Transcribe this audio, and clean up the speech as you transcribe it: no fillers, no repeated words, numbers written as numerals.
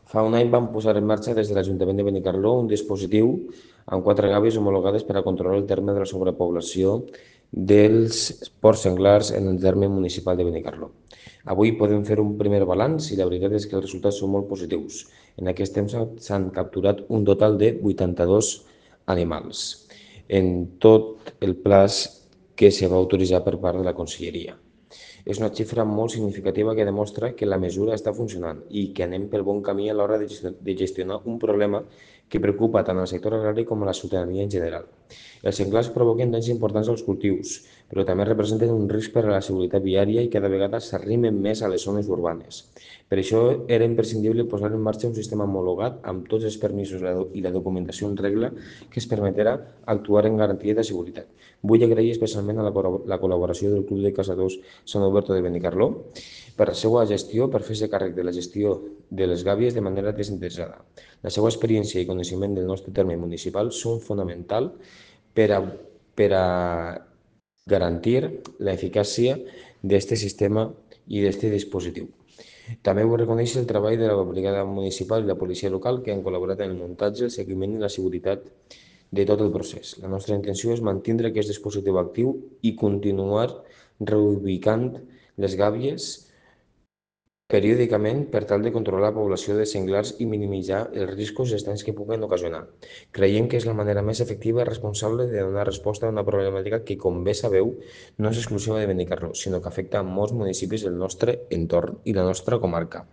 Fa un any vam posar en marxa des de l'Ajuntament de Benicarló un dispositiu amb 4 gàbies homologades per a controlar el terme de la sobrepoblació dels porcs senglars en el terme municipal de Benicarló. Avui podem fer un primer balanç i la veritat és que els resultats són molt positius. En aquest temps s'han capturat un total de 82 animals en tot el plaç que se va autoritzar per part de la Conselleria. És una xifra molt significativa que demostra que la mesura està funcionant i que anem pel bon camí a l'hora de gestionar un problema que preocupa tant al sector agrari com a la ciutadania en general. Els senglars provoquen danys importants als cultius, però també representen un risc per a la seguretat viària i cada vegada s'arrimen més a les zones urbanes. Per això era imprescindible posar en marxa un sistema homologat amb tots els permisos i la documentació en regla que es permetrà actuar en garantia de seguretat. Vull agrair especialment a la col·laboració del Club de Caçadors Sant Alberto de Benicarló per la seva gestió, per fer-se càrrec de la gestió de les gàbies de manera desinteressada. La seva experiència i coneixement del nostre terme municipal són fonamental per a, per a garantir l'eficàcia d'aquest sistema i d'aquest dispositiu. També vull reconèixer el treball de la Brigada Municipal i la Policia Local que han col·laborat en el muntatge, el seguiment i la seguretat de tot el procés. La nostra intenció és mantenir aquest dispositiu actiu i continuar reubicant les gàbies periòdicament per tal de controlar la població de senglars i minimitzar els riscos i els danys que puguen ocasionar. Creiem que és la manera més efectiva i responsable de donar resposta a una problemàtica que, com bé sabeu, no és exclusiva de Benicarló, sinó que afecta a molts municipis del nostre entorn i la nostra comarca.